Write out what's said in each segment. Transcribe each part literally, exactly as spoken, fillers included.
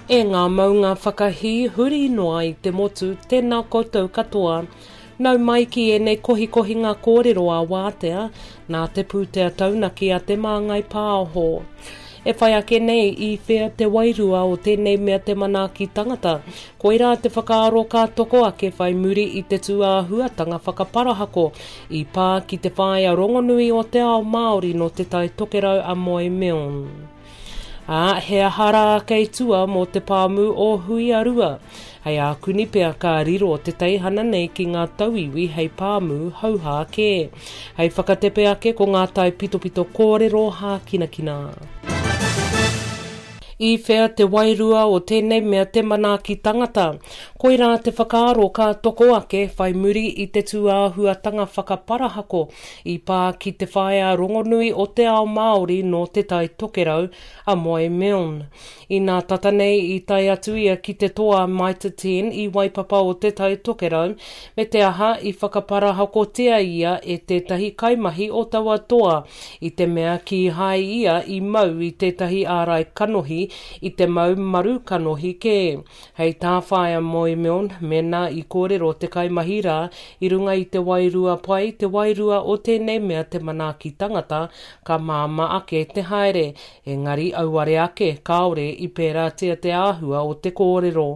E ngā maunga whakahī huri noa i te motu, tēnā koutou katoa. Nau mai ki ēnei kohikohinga kōrero a Wātea, nā te pūtea taunaki a Te Māngai Pāho. E whai ake nei i whea te wairua o tēnei mea te manaaki tangata, koirā te whakaaro ka toko ake whai muri i te tūāhuatanga whakaparahako i pā ki te whaea rongonui o te ao Māori nō Te Tai Tokerau a Moe Milne. Ā, he aha rā kei tua mō te pāmu o Huiarua? Hei ākuni pea ka riro te teihana nei ki ngā tauiwi hei pāmu hauhā kē. Hei whakatepe ake ko ngā taipitopito kōrero hākinakina. I whea te wairua o tēnei mea te manaaki tangata? Koirā te whakaaro ka toko ake whai muri i te tūāhuatanga whakaparahako i pā ki te whaea rongonui o te ao Māori nō Te Tai Tokerau, a Moe Milne. Inā tata nei i tae atu ia ki te toa Mitre ten i Waipapa o Te Tai Tokerau, me te aha i whakaparahakotia ia e tētahi kaimahi o taua toa, i te mea kīhai ia i mau i tētahi ārai kanohi i te mau maru kanohi kē. Hei tā Whaea Moe Milne, mēnā i kōrero te kaimahi rā i runga i te wairua pai, te wairua o tēnei mea te manaaki tangata, ka māmā ake te haere, engari auare ake kāore i pērātia te āhua o te kōrero.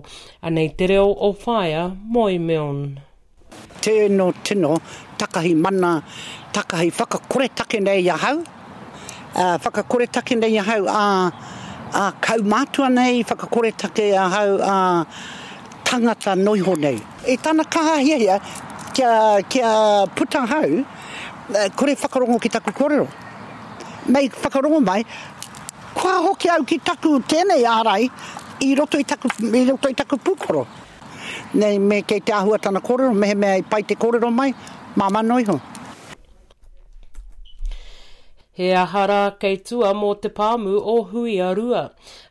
Anei te reo o Whaea Moe Milne. Tēno tino takahi mana, takahi whakakoretake nei ahau, uh, whakakoretake nei ahau a, a kaumātua nei, whakakoretake ahau a tangata noiho nei. I tana kaha hiahia kia, kia puta hau, kore whakarongo ki taku kōrero. Mei whakarongo mai, kua hoki au ki taku tēnei ārai i roto i taku, i roto i taku pūkoro. Nei, me kei te āhua tana kōrero, mehemea i pai te kōrero mai, māmā noiho. He aha rā kei tua mō te pāmu o Huiarua.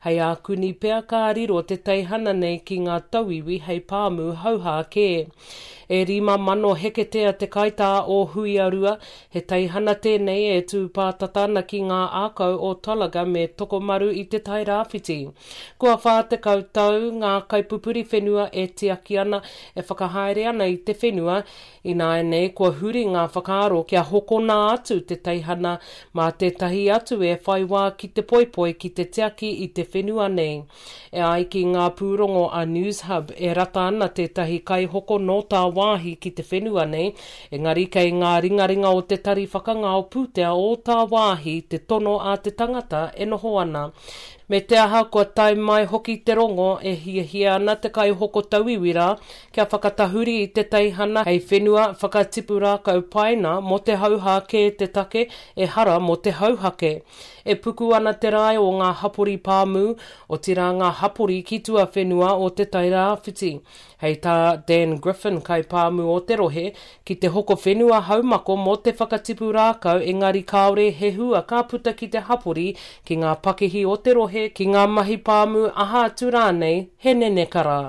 Hei ākuni pea ka riro te teihana nei ki ngā tauiwi hei pāmu hauhā kē. E rima mano heketea te kaitā o Huiarua, he teihana tēnei e tū pātata ana ki ngā ākau o Tolaga me Tokomaru i te Tai Rāwhiti. Kua whā tekau tau ngā kaipupuri whenua e tiaki ana, e whakahaere ana i te whenua, ināianei kua huri ngā whakaaro kia hokona atu te teihana mā tētahi atu e whai wā ki te poipoi ki te tiaki i te whenua nei. E ai ki ngā pūrongo a Newshub e rata ana tētahi kaihoko nō tāwāhi ki te whenua nei, engari kei ngā ringaringa o te tari whakangao pūtea o tāwāhi te tono a te tangata e noho ana. Me te aha kua tae mai hoki te rongo e hiahia ana te kaihoko tauiwi rā kia whakatahuri i te teihana hei whenua whakatipu rākau paina mō te hauhā kē te take ehara mō te hauhake. E puku ana te rae o ngā hapori pāmu, otirā ngā hapori ki tuawhenua o Te Tai Rāwhiti. Hei tā Dan Griffin kaipāmu o te rohe, ki te hoko whenua haumako mō te whakatipu rākau engari kāore he hua ka puta ki te hapori, ki ngā pakihi o te rohe, ki ngā mahi pāmu aha atu rānei, he nenekara.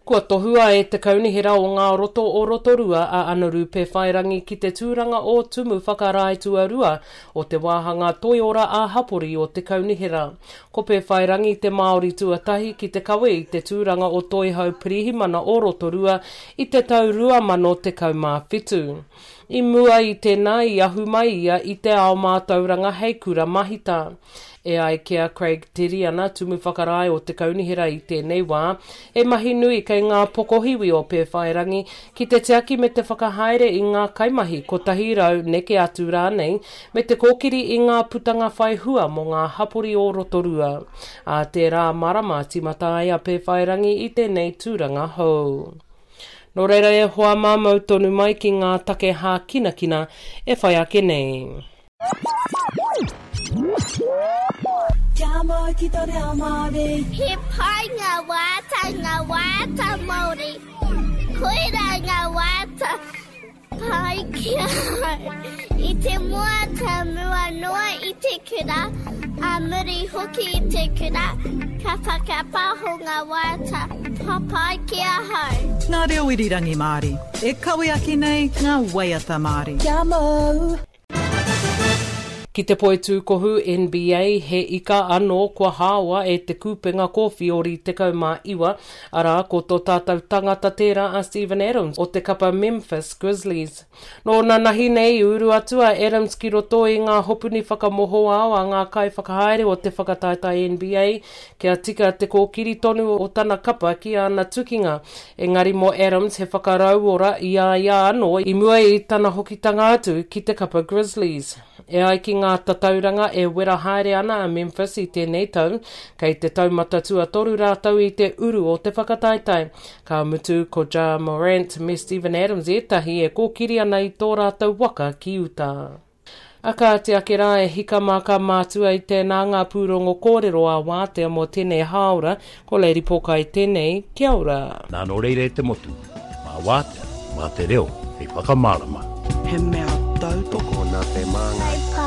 Kua tohua e te kaunihera o ngā roto o Rotorua a Anaru Pēwhairangi ki te tūranga o Tumu Whakarae Tuarua o te wāhanga toiora ā-hapori o te kaunihera. Ko Pēwhairangi te Māori tuatahi ki te kawe i te tūranga o Toihau Pirihimana o Rotorua i te tau rua mano tekau mā whitu. I mua i tēnā i ahu mai ia i te ao mātauranga hei kura mahita. E ai ki a Craig Teriana, Tumu Whakarae o te kaunihera i tēnei wā, e mahi nui kei ngā pokohiwi o Pēwhairangi ki te tiaki me te whakahaere i ngā kaimahi kotahi rau neke atu rānei, me te kōkiri i ngā putanga whai hua mō ngā hapori o Rotorua. Ā tērā marama tīmata ai a Pēwhairangi i tēnei tūranga hou. Nō reira e hoa mā mau tonu mai ki ngā take hākinakina e whai ake nei. Kia mau ki tō reo Māori. He pai ngā waiata, ngā waiata Māori. Koirā ngā waiata pai ki ahau. I te mua ka mua noa i te kura, a muri hoki i te kura, ka whakapaho ngā waiata papai ki ahau. Ngā reo irirangi Māori, e kawe ake nei ngā waiata Māori. Kia mau! Ki te poitūkohu N B A, he ika anō kua hāoa e te kupenga kōwhiori tekau mā iwa, arā ko tō tātou tangata tērā a Steven Adams o te kapa Memphis Grizzlies. Nō nanahi nei uru atu a Adams ki roto i ngā hopuni whakamohoao a ngā kaiwhakahaere o te whakataetae N B A kia tika te kōkiri tonu o tana kapa ki ana tukinga. Engari mō Adams he whakarauora i a ia anō i mua i tana hokitanga atu ki te kapa Grizzlies. E ai ki ngā tatauranga e wera haere ana a Memphis i tēnei tau, kei te taumata tuatoru rātou i te uru o te whakataetae. Ka mutu ko Ja Morant me Steven Adams ētahi e kōkiri ana i tō rātou waka ki uta. A kāti ake rā e hika mā ka mātua i tēnā ngā pūrongo kōrero a wātea mō tēnei hāora, ko Lady Pōkai tēnei, kia ora. Nā nō reira e te motu, mā wātea, mā te reo, hei whakamārama. He mea tautoko Nā te māngai.